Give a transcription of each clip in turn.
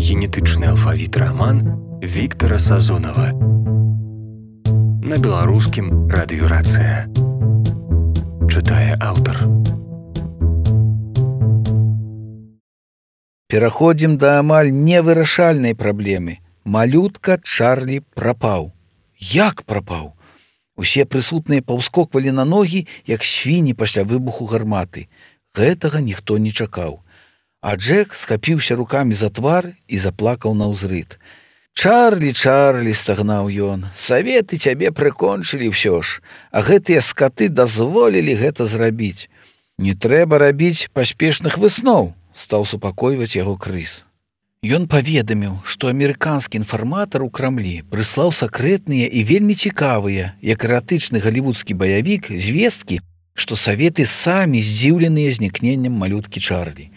генетычны алфавіт раман Віктара Сазонава. На беларускім радыёрацыя. Чытае аўтар. Пераходзім да амаль невырашальнай праблемы. Малютка Чарлі прапаў. Як прапаў? Усе прысутныя паўскоквалі на ногі, як свіні пасля выбуху гарматы. Гэтага ніхто не чакаў. А Джек схапіўся рукамі за твар і заплакаў наўзрыд. «Чарлі, Чарлі!» – стагнаў ён. «Саветы цябе прыкончылі ўсё ж, а гэтыя скаты дазволілі гэта зрабіць. Не трэба рабіць паспешных высноў!» – стаў супакойваць яго Крыс. Ён паведаміў, што амерыканскі інфарматар у Крамлі прыслаў сакрэтныя і вельмі цікавыя, як эратычны галівудскі баявік, звесткі, што саветы самі здзіўленыя знікненнем малюткі Чарлі.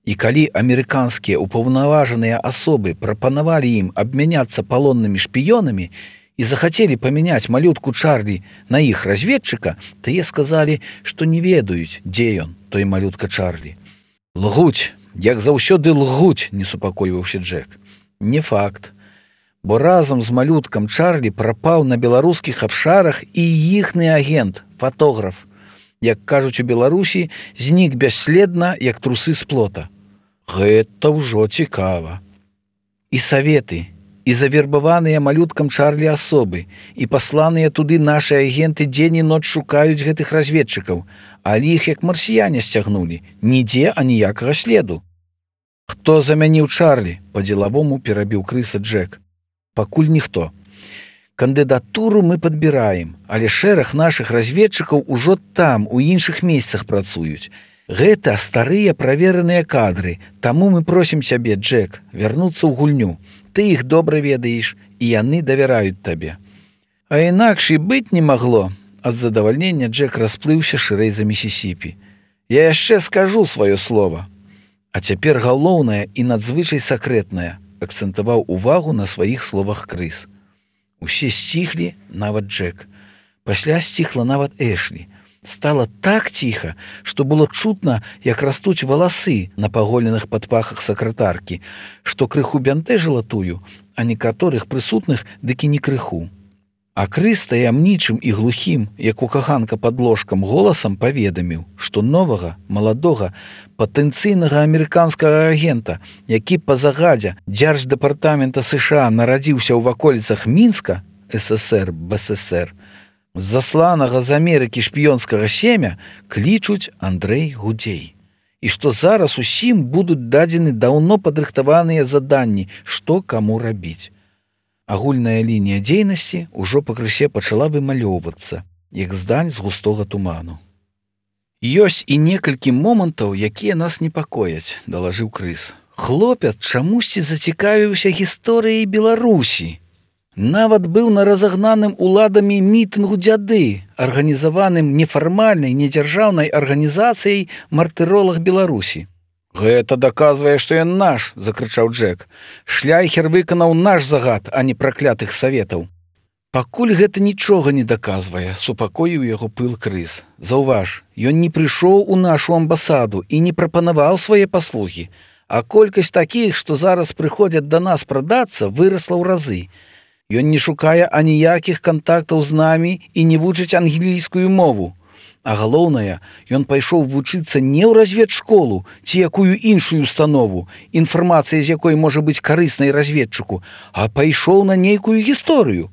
І калі амерыканскія ўпаўнаважаныя асобы прапанавалі ім абмяняцца палоннымі шпіёнамі і захацелі памяняць малютку Чарлі на іх разведчыка, тыя сказалі, што не ведаюць, дзе ён, той малютка Чарлі. «Лгуць! Як заўсёды лгуць!» – не супакойваўся Джек. Не факт, бо разам з малюткам Чарлі прапаў на беларускіх абшарах і іхны агент, фатограф. Як кажуць у Беларусі, знік бясследна, як трусы з плота. Гэта ўжо цікава. І саветы, і завербаваныя малюткам Чарлі асобы, і пасланыя туды нашы агенты дзень і ноч шукаюць гэтых разведчыкаў, але іх як марсіяне сцягнулі, нідзе аніякага следу. «Хто замяніў Чарлі?» – па-дзелавому перабіў Крыса Джек. «Пакуль ніхто. Кандыдатуру мы падбіраем, але шэраг нашых разведчыкаў ужо там, у іншых месцах працуюць. Гэта старыя правераныя кадры, таму мы просім цябе, Джек, вярнуцца ў гульню. Ты іх добра ведаеш, і яны давяраюць табе». А інакш і быць не магло. Ад задавальнення Джек расплыўся шырэй за Місісіпі. «Я яшчэ скажу сваё слова. А цяпер галоўнае і надзвычай сакрэтнае», – акцэнтаваў увагу на сваіх словах Крыс. Усе сціхлі, нават Джек. Пасля сціхла нават Эшлі. Стала так ціха, што было чутна, як растуць валасы на паголеных падпахах сакратаркі, што крыху бянтэжыла тую, а некаторых прысутных дык і не крыху. А Крыс таямнічым і глухім, як у каханка пад ложкам, голасам паведаміў, што новага, маладога, патэнцыйнага амерыканскага агента, які па загадзе Дзярждэпартамента США нарадзіўся ў ваколіцах Мінска, ССР, БССР, засланага з Амерыкі шпіёнскага семя, клічуць Андрэй Гудзей. І што зараз усім будуць дадзены даўно падрыхтаваныя заданні, што каму рабіць. Агульная лінія дзейнасці ўжо пакрысе пачала вымалёўвацца, як здань з густога туману. «Ёсць і некалькі момантаў, якія нас непакояць», – далажыў Крыс. «Хлопец чамусьці зацікавіўся гісторыяй Беларусі. Нават быў на разагнаным уладамі мітынгу дзяды, арганізаваным нефармальнай, недзяржаўнай арганізацыяй «Мартыролаг Беларусі». «Гэта даказвае, што ён наш!» – закрычаў Джек. «Шляйхер выканаў наш загад, а не праклятых саветаў». «Пакуль гэта нічога не даказвае», – супакоіў яго пыл Крыс. «Заўваж, ён не прыйшоў у нашу амбасаду і не прапанаваў свае паслугі, а колькасць такіх, што зараз прыходзяць да нас прадацца, вырасла ў разы. Ён не шукае аніякіх кантактаў з намі і не вучыць англійскую мову. А галоўнае, ён пайшоў вучыцца не ў разведшколу ці якую іншую установу, інфармацыя з якой можа быць карыснай разведчыку, а пайшоў на нейкую гісторыю.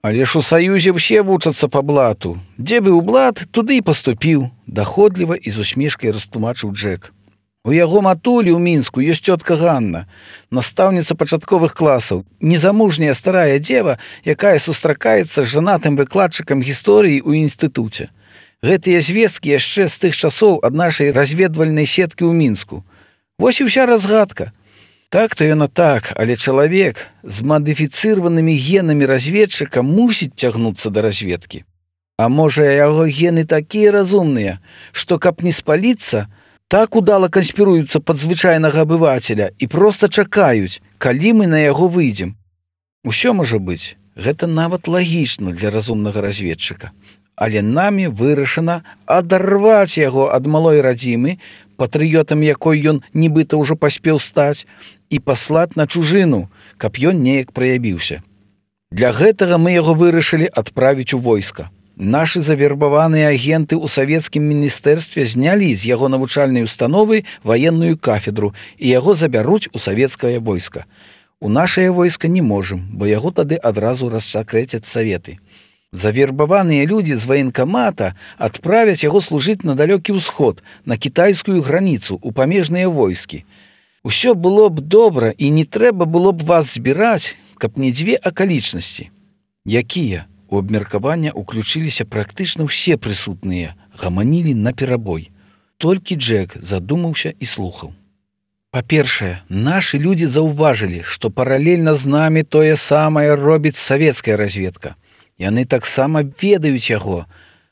Але ж у Саюзе ўсе вучацца па блату. Дзе быў блат, туды і паступіў», – даходліва і з усмешкай растлумачыў Джек. «У яго матулі ў Мінску ёсць цётка Ганна, настаўніца пачатковых класаў, незамужняя старая дзева, якая сустракаецца з жанатым выкладчыкам гісторыі ў інстытуце. Гэтыя звесткі яшчэ з тых часоў ад нашай разведвальнай сеткі ў Мінску. Вось і ўся разгадка. Так-то яно так, але чалавек з мадыфіцыраванымі генамі разведчыка мусіць цягнуцца да разведкі. А можа, яго гены такія разумныя, што каб не спаліцца, так удала канспіруюцца пад звычайнага абывацеля і проста чакаюць, калі мы на яго выйдзем. Усё можа быць, гэта нават лагічна для разумнага разведчыка. Але намі вырашана адарваць яго ад малой радзімы, патрыётам якой ён нібыта ўжо паспеў стаць, і паслаць на чужыну, каб ён неяк праявіўся. Для гэтага мы яго вырашылі адправіць у войска. Нашы завербаваныя агенты ў савецкім міністэрстве знялі з яго навучальнай установы ваенную кафедру і яго забяруць у савецкае войска. У нашае войска не можам, бо яго тады адразу рассакрэцяць саветы. Завербаваныя людзі з ваенкамата адправяць яго служыць на далёкі ўсход, на кітайскую граніцу, у памежныя войскі. Усё было б добра і не трэба было б вас збіраць, каб не дзве акалічнасці. Якія? У абмеркавання ўключыліся практычна ўсе прысутныя, гаманілі наперабой. Толькі Джек задумаўся і слухаў. Па-першае, нашы людзі заўважылі, што паралельна з намі тое самае робіць савецкая разведка. Яны таксама ведаюць яго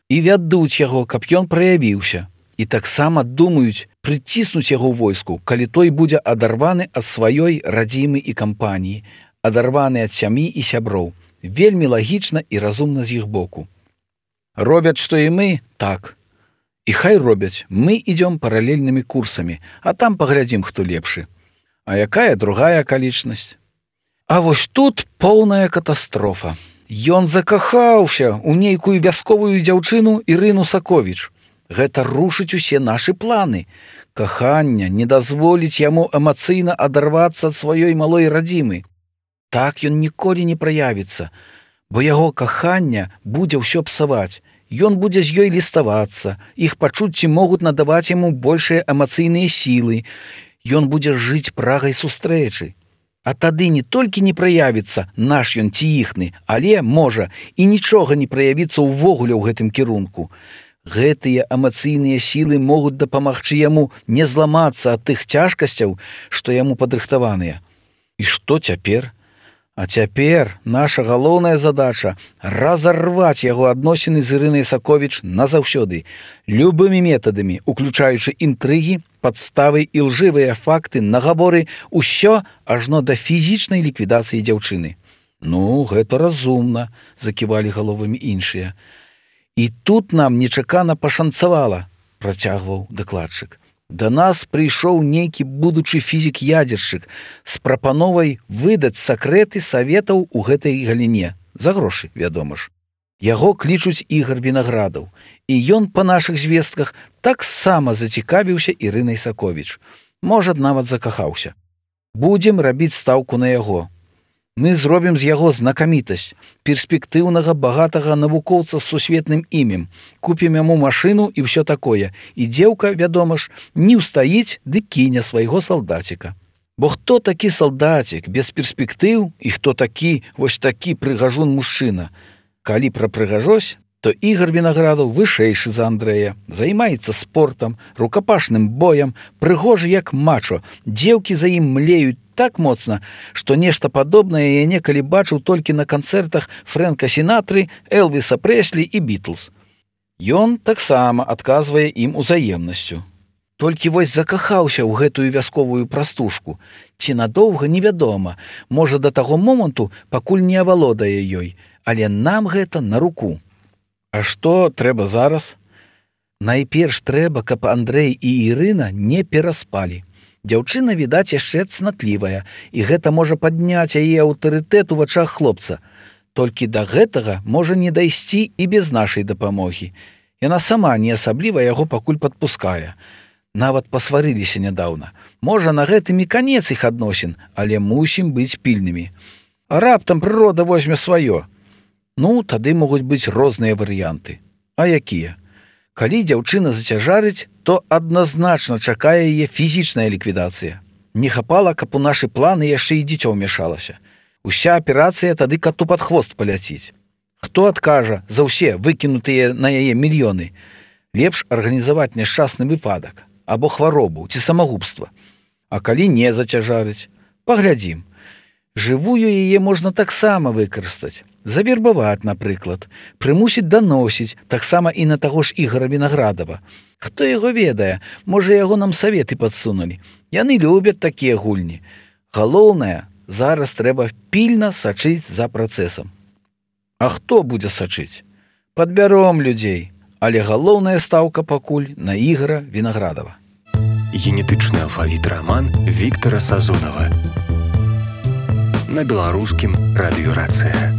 і вядуць яго, каб ён праявіўся. І таксама думаюць прыціснуць яго ў войску, калі той будзе адарваны ад сваёй радзімы і кампаніі, адарваны ад сям'і і сяброў. Вельмі лагічна і разумна з іх боку. Робяць, што і мы, так. І хай робяць, мы ідём паралельнымі курсамі, а там паглядзім, хто лепшы. А якая другая акалічнасць? А вось тут поўная катастрофа. Ён закахаўся ў нейкую вясковую дзяўчыну Ірыну Саковіч. Гэта рушыць усе нашы планы. Каханне не дазволіць яму эмацыйна адарвацца ад сваёй малой радзімы. Так ён ніколі не праявіцца, бо яго кахання будзе ўсё псаваць. Ён будзе з ёй ліставацца, іх пачуцці могуць надаваць яму большыя эмацыйныя сілы. Ён будзе жыць прагай сустрэчы. А тады не толькі не праявіцца наш ён ці іхны, але, можа, і нічога не праявіцца ўвогуле ў гэтым кірунку. Гэтыя эмацыйныя сілы могуць дапамагчы яму не зламацца ад тых цяжкасцяў, што яму падрыхтаваныя. І што цяпер? А цяпер наша галоўная задача – разарваць яго адносіны з Ірынай Саковіч назаўсёды, любымі метадамі, уключаючы інтрыгі, падставы і лжывыя факты, нагаворы, усё ажно да фізічнай ліквідацыі дзяўчыны. Ну, гэта разумна, заківалі галовамі іншыя. І тут нам нечакана пашанцавала, працягваў дакладчык. Да нас прыйшоў нейкі будучы фізік-ядзершчык з прапановай выдаць сакрэты саветаў у гэтай галіне. За грошы, вядома ж. Яго клічуць Ігар Вінаградаў. І ён, па нашых звестках, таксама зацікавіўся Ірынай Саковіч. Можа, нават закахаўся. Будзем рабіць стаўку на яго. Мы зробім з яго знакамітасць, перспектыўнага, багатага навукоўца з сусветным імем, купім яму машыну і ўсё такое. І дзеўка, вядома ж, не ўстаіць ды кіне свайго салдаціка. Бо хто такі салдацік без перспектыў і хто такі, вось такі прыгажун мужчына? Калі пра прыгажосць, то Ігар Вінаградаў вышэйшы за Андрэя, займаецца спортам, рукапашным боем, прыгожы як мачо, дзеўкі за ім млеюць так моцна, што нешта падобнае я некалі бачыў толькі на канцэртах Фрэнка Сінатры, Элвіса Прэслі і Бітлз. Ён таксама адказвае ім узаемнасцю. Толькі вось закахаўся ў гэтую вясковую прастушку. Ці надоўга невядома, можа да таго моманту, пакуль не авалодае ёй, але нам гэта на руку. А што трэба зараз? Найперш трэба, каб Андрэй і Ірына не пераспалі. Дзяўчына, відаць, яшчэ цнатлівая, і гэта можа падняць яе аўтарытэт у вачах хлопца. Толькі да гэтага можа не дайсці і без нашай дапамогі. Яна сама не асабліва яго пакуль падпускае. Нават пасварыліся нядаўна. Можа, на гэтым і канец іх адносін, але мусім быць пільнымі. А раптам прырода возьме сваё. Ну, тады могуць быць розныя варыянты. А якія? Калі дзяўчына зацяжарыць, то адназначна чакае яе фізічная ліквідацыя. Не хапала, каб у нашы планы яшчэ і дзіцё ўмяшалася. Уся аперацыя тады кату пад хвост паляціць. Хто адкажа за ўсе выкінутыя на яе мільёны? Лепш арганізаваць няшчасны выпадак, або хваробу, ці самагубства. А калі не зацяжарыць? Паглядзім. Жывую яе можна таксама выкарыстаць. Завербаваць, напрыклад, прымусіць даносіць, таксама і на таго ж Ігара Вінаградава. Хто яго ведае, можа, яго нам саветы падсунулі. Яны любяць такія гульні. Галоўнае, зараз трэба пільна сачыць за працэсам. А хто будзе сачыць? Падбяром людзей, але галоўная стаўка пакуль на Ігара Вінаградава. генетычны алфавіт раман Віктара Сазонава. На беларускім радыёрацыя.